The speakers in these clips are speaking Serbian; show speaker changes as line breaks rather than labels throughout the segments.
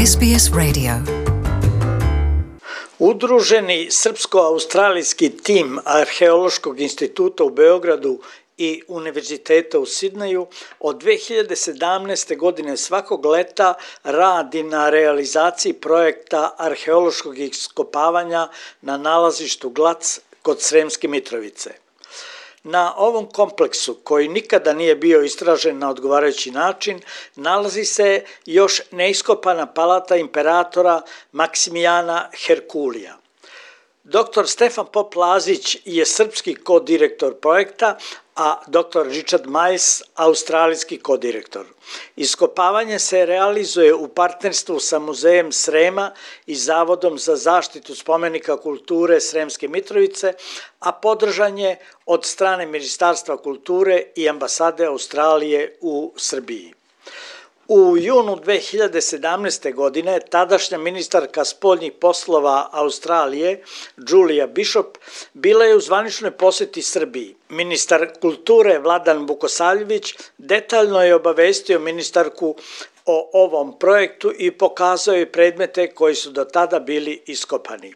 SBS Radio.
Udruženi srpsko-australijski tim Arheološkog instituta u Beogradu i Univerziteta u Sidneju od 2017. godine svakog leta radi na realizaciji projekta arheološkog iskopavanja na nalazištu Glac kod Sremske Mitrovice. Na ovom kompleksu, koji nikada nije bio istražen na odgovarajući način, nalazi se još neiskopana palata imperatora Maksimijana Herkulija. Dr. Stefan Pop-Lazić je srpski kodirektor projekta, a dr. Richard Miles australijski kodirektor. Iskopavanje se realizuje u partnerstvu sa Muzejem Srema i Zavodom za zaštitu spomenika kulture Sremske Mitrovice, a podržan je od strane Ministarstva kulture i ambasade Australije u Srbiji. U junu 2017. godine tadašnja ministarka spoljnih poslova Australije, Julia Bishop, bila je u zvaničnoj poseti Srbiji. Ministar kulture Vladan Vukosavljević detaljno je obavestio ministarku o ovom projektu i pokazao je predmete koji su do tada bili iskopani.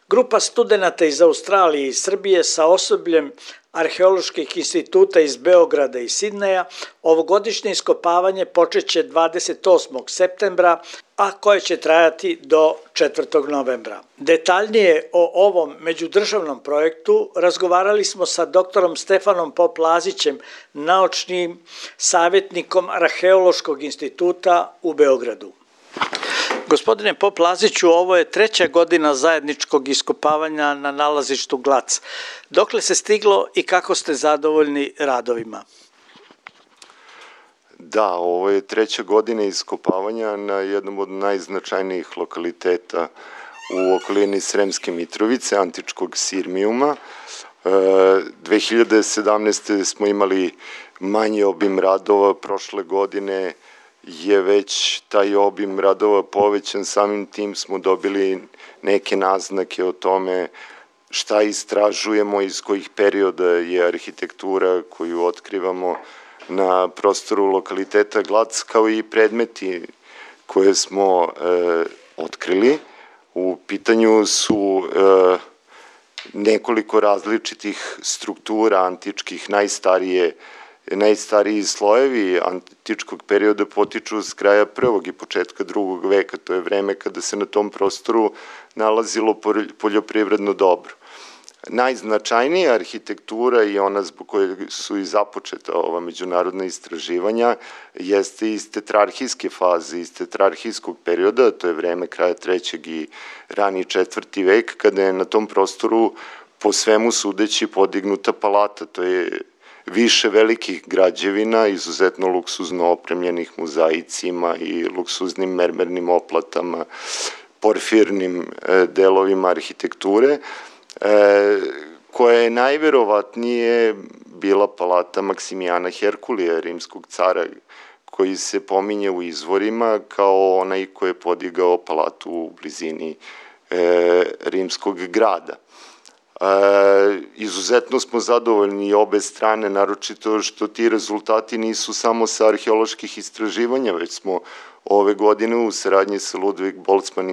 Grupa studenata iz Australije i Srbije sa osobljem Arheoloških instituta iz Beograda i Sidneja ovogodišnje iskopavanje počeće 28. septembra, a koje će trajati do 4. novembra. Detaljnije o ovom međudržavnom projektu razgovarali smo sa doktorom Stefanom Pop-Lazićem, naučnim savjetnikom Arheološkog instituta u Beogradu. Gospodine Pop-Laziću, ovo je 3. godina zajedničkog iskopavanja na nalazištu Glac. Dokle se stiglo i kako ste zadovoljni radovima?
Da, ovo je 3. godina iskopavanja na jednom od najznačajnijih lokaliteta u okolini Sremske Mitrovice, antičkog Sirmijuma. 2017. smo imali manji obim radova, prošle godine je već taj obim radova povećan, samim tim smo dobili neke naznake o tome šta istražujemo, iz kojih perioda je arhitektura koju otkrivamo na prostoru lokaliteta Glac, kao i predmeti koje smo otkrili. U pitanju su nekoliko različitih struktura antičkih, najstariji slojevi antičkog perioda potiču s kraja 1. i početka 2. veka, to je vreme kada se na tom prostoru nalazilo poljoprivredno dobro. Najznačajnija arhitektura i ona zbog koje su i započeta ova međunarodna istraživanja jeste iz tetrarhijske faze, iz tetrarhijskog perioda, to je vreme kraja 3. i rani 4. vek, kada je na tom prostoru po svemu sudeći podignuta palata, to je više velikih građevina, izuzetno luksuzno opremljenih mozaicima i luksuznim mermernim oplatama, porfirnim delovima arhitekture, koja je najverovatnije bila palata Maksimijana Herkulija, rimskog cara, koji se pominje u izvorima kao onaj koji je podigao palatu u blizini rimskog grada. Izuzetno smo zadovoljni obe strane, naročito što ti rezultati nisu samo sa arheoloških istraživanja, već smo ove godine u saradnji sa Ludwig Boltzmann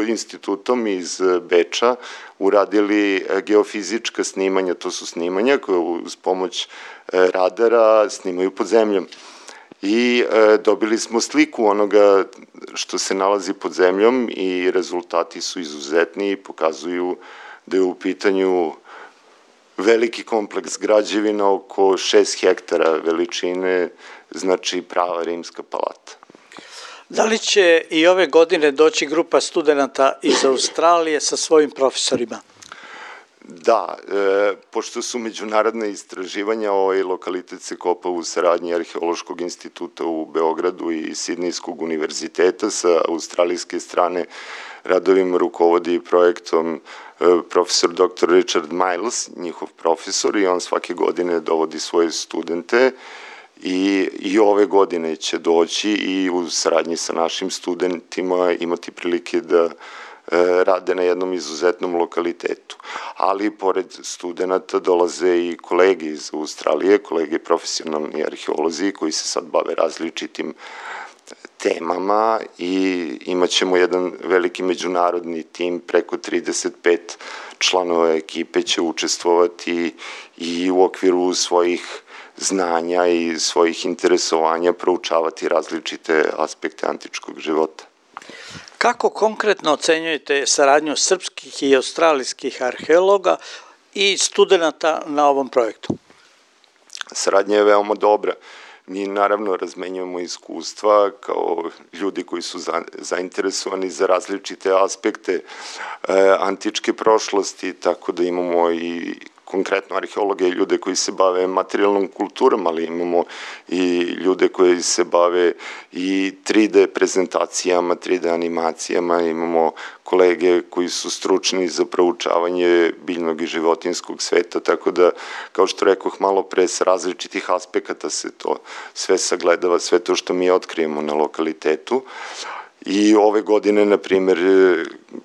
institutom iz Beča uradili geofizička snimanja, to su snimanja koje uz pomoć radara snimaju pod zemljom. I dobili smo sliku onoga što se nalazi pod zemljom i rezultati su izuzetni i pokazuju da je u pitanju veliki kompleks građevina oko 6 hektara veličine, znači prava rimska palata.
Da li će i ove godine doći grupa studenata iz Australije sa svojim profesorima?
Da, pošto su međunarodna istraživanja, ovaj lokalitet se kopa u saradnji Arheološkog instituta u Beogradu i Sidnejskog univerziteta. Sa australijske strane radovim rukovodi projektom profesor dr. Richard Miles, njihov profesor, i on svake godine dovodi svoje studente i ove godine će doći i u saradnji sa našim studentima imati prilike da rade na jednom izuzetnom lokalitetu. Ali pored studenta dolaze i kolege iz Australije, kolege profesionalni arheolozi koji se sad bave različitim temama i imat ćemo jedan veliki međunarodni tim, preko 35 članova ekipe će učestvovati i u okviru svojih znanja i svojih interesovanja proučavati različite aspekte antičkog života.
Kako konkretno ocenjujete saradnju srpskih i australijskih arheologa i studenata na ovom projektu?
Saradnja je veoma dobra. Mi naravno razmenjujemo iskustva kao ljudi koji su zainteresovani za različite aspekte antičke prošlosti, tako da imamo i konkretno arheologe i ljude koji se bave materijalnom kulturom, ali imamo i ljude koji se bave i 3D prezentacijama, 3D animacijama, imamo kolege koji su stručni za proučavanje biljnog i životinjskog sveta, tako da, kao što rekoh malo pre, s različitih aspekata se to sve sagledava, sve to što mi otkrijemo na lokalitetu. I ove godine, na primjer,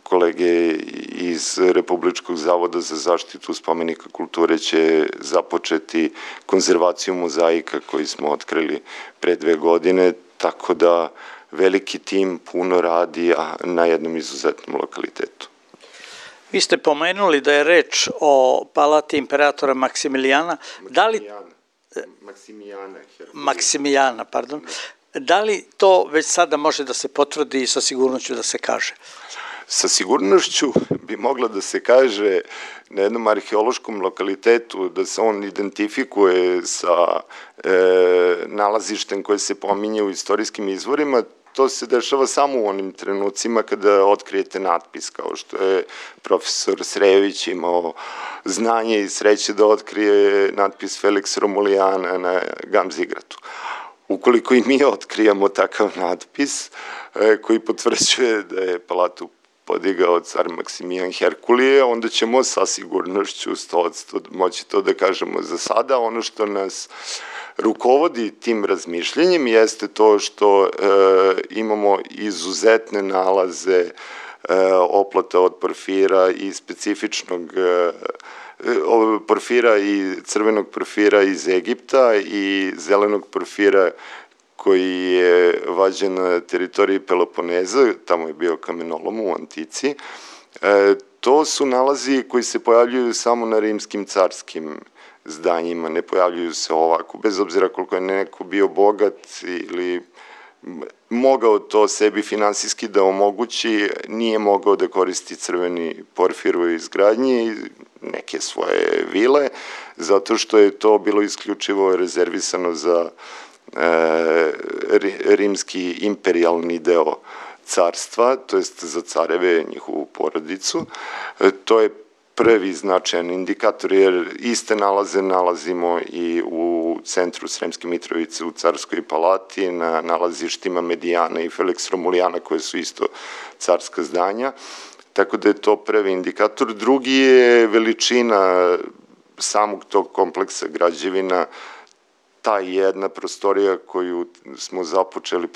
kolege iz Republičkog zavoda za zaštitu spomenika kulture će započeti konzervaciju mozaika koji smo otkrili pre 2 godine, tako da veliki tim puno radi na jednom izuzetnom lokalitetu.
Vi ste pomenuli da je reč o palati imperatora Maksimilijana. Maksimijana, pardon. Da li to već sada može da se potvrdi i sa sigurnošću da se kaže?
Sa sigurnošću bi mogla da se kaže na jednom arheološkom lokalitetu da se on identifikuje sa nalazištem koje se pominje u istorijskim izvorima. To se dešava samo u onim trenucima kada otkrijete natpis, kao što je profesor Srejević imao znanje i sreće da otkrije natpis Felix Romulijana na Gamzigratu. Ukoliko i mi otkrijemo takav natpis koji potvrđuje da je palatu podigao car Maksimijan Herkulije, onda ćemo sa sigurnošću 100% moći to da kažemo. Za sada ono što nas rukovodi tim razmišljenjem jeste to što imamo izuzetne nalaze oplata od porfira i specifičnog porfira i crvenog porfira iz Egipta i zelenog porfira koji je vađen na teritoriji Peloponeza, tamo je bio kamenolom u antici. To su nalazi koji se pojavljuju samo na rimskim carskim zdanjima, ne pojavljuju se ovako, bez obzira koliko je neko bio bogat ili mogao to sebi finansijski da omogući, nije mogao da koristi crveni porfir u izgradnji neke svoje vile, zato što je to bilo isključivo rezervisano za rimski imperijalni deo carstva, to jest za careve, njihovu porodicu. To je prvi značajan indikator, jer iste nalaze nalazimo i u centru Sremske Mitrovice u Carskoj palati, na nalazištima Medijana i Felix Romulijana, koje su isto carska zdanja, tako da je to prvi indikator. Drugi je veličina samog tog kompleksa građevina, ta jedna prostorija koju smo započeli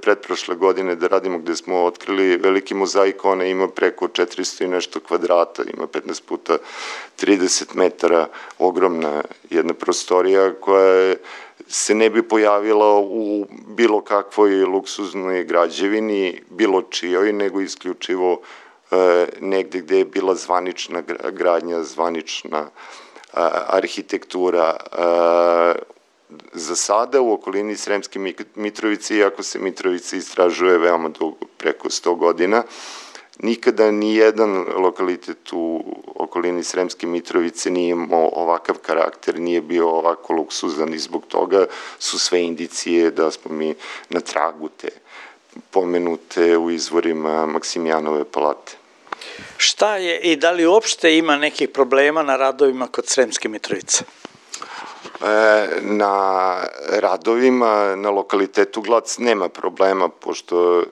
pretprošle godine da radimo, gde smo otkrili veliki mozaik, ona ima preko 400 i nešto kvadrata, ima 15 puta 30 metara, ogromna jedna prostorija koja se ne bi pojavila u bilo kakvoj luksuznoj građevini, bilo čijoj, nego isključivo negde gde je bila zvanična gradnja, zvanična arhitektura. Za sada u okolini Sremske Mitrovice, iako se Mitrovica istražuje veoma dugo, preko 100 godina, nikada ni jedan lokalitet u okolini Sremske Mitrovice nije imao ovakav karakter, nije bio ovako luksuzan i zbog toga su sve indicije da smo mi na tragu te pomenute u izvorima Maksimijanove palate.
Šta je i da li uopšte ima nekih problema na radovima kod Sremske Mitrovice?
Na radovima, na lokalitetu Glac nema problema, pošto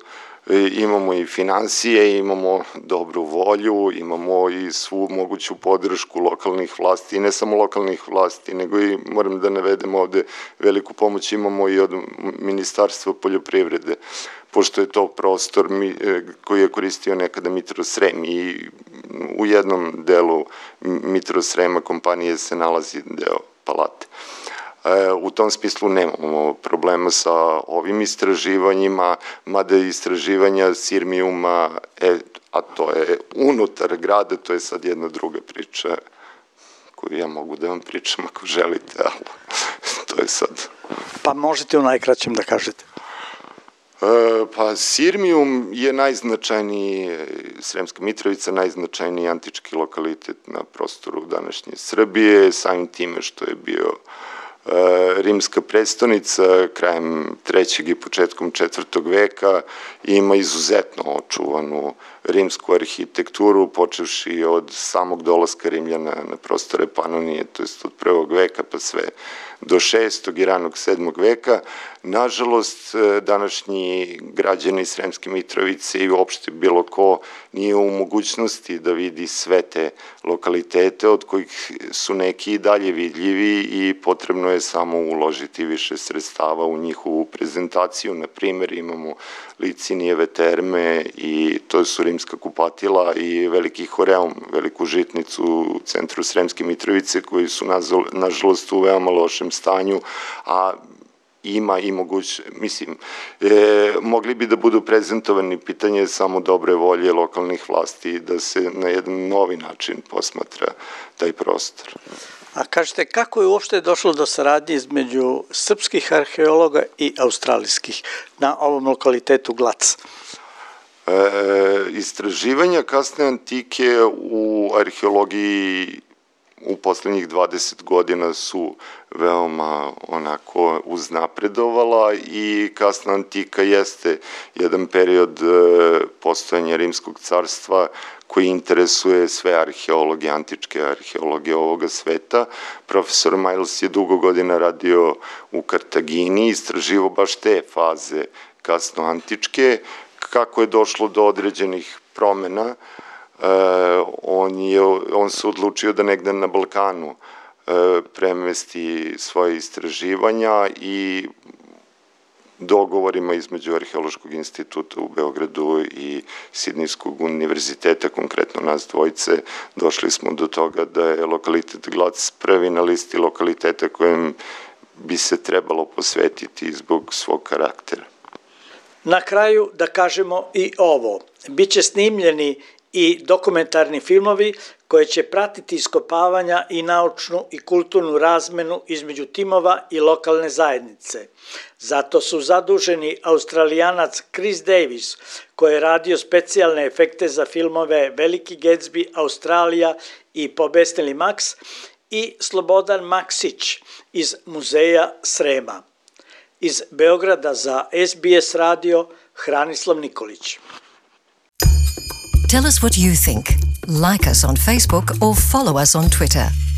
imamo i finansije, imamo dobru volju, imamo i svu moguću podršku lokalnih vlasti, i ne samo lokalnih vlasti, nego i, moram da navedem ovde, veliku pomoć imamo i od Ministarstva poljoprivrede, pošto je to prostor koji je koristio nekada Mitrosrem i u jednom delu Mitrosrema kompanije se nalazi deo palate. U tom smislu nemamo problema sa ovim istraživanjima, mada istraživanja Sirmijuma, a to je unutar grada, to je sad jedna druga priča koju ja mogu da vam pričam ako želite, ali to je sad...
Pa možete u najkraćem da kažete.
Pa Sirmijum je najznačajniji, Sremska Mitrovica, najznačajniji antički lokalitet na prostoru današnje Srbije, samim time što je bio rimska prestonica krajem 3. i početkom 4. veka, ima izuzetno očuvanu rimsku arhitekturu, počevši od samog dolaska Rimljana na prostore Panonije, to jest od 1. veka pa sve do 6. i ranog 7. veka. Nažalost, današnji građani Sremske Mitrovice i uopšte bilo ko nije u mogućnosti da vidi sve te lokalitete, od kojih su neki i dalje vidljivi i potrebno je samo uložiti više sredstava u njihovu prezentaciju. Na primjer, imamo Licinijeve terme i to su rimska kupatila i veliki horeum, veliku žitnicu u centru Sremske Mitrovice, koji su nažalost u veoma lošem stanju, a ima i mogli bi da budu prezentovani, pitanje samo dobre volje lokalnih vlasti da se na jedan novi način posmatra taj prostor.
A kažete, kako je uopšte došlo do saradnje između srpskih arheologa i australijskih na ovom lokalitetu Glac?
Istraživanja kasne antike u arheologiji u poslednjih 20 godina su veoma onako uznapredovala i kasna antika jeste jedan period postojanja Rimskog carstva koji interesuje sve arheologe, antičke arheologe ovoga sveta. Profesor Miles je dugo godina radio u Kartagini, istraživo baš te faze kasno antičke. Kako je došlo do određenih promena, on se odlučio da negde na Balkanu premesti svoje istraživanja i dogovorima između Arheološkog instituta u Beogradu i Sidnejskog univerziteta, konkretno nas dvojice, došli smo do toga da je lokalitet Glac prvi na listi lokaliteta kojem bi se trebalo posvetiti zbog svog karaktera.
Na kraju da kažemo i ovo. Biće snimljeni i dokumentarni filmovi koje će pratiti iskopavanja i naučnu i kulturnu razmenu između timova i lokalne zajednice. Zato su zaduženi Australijanac Chris Davis, koji je radio specijalne efekte za filmove Veliki Gatsby, Australija i Pobesneli Max, i Slobodan Maksić iz Muzeja Srema. Iz Beograda za SBS radio, Hranislav Nikolić.
Tell us what you think. Like us on Facebook or follow us on Twitter.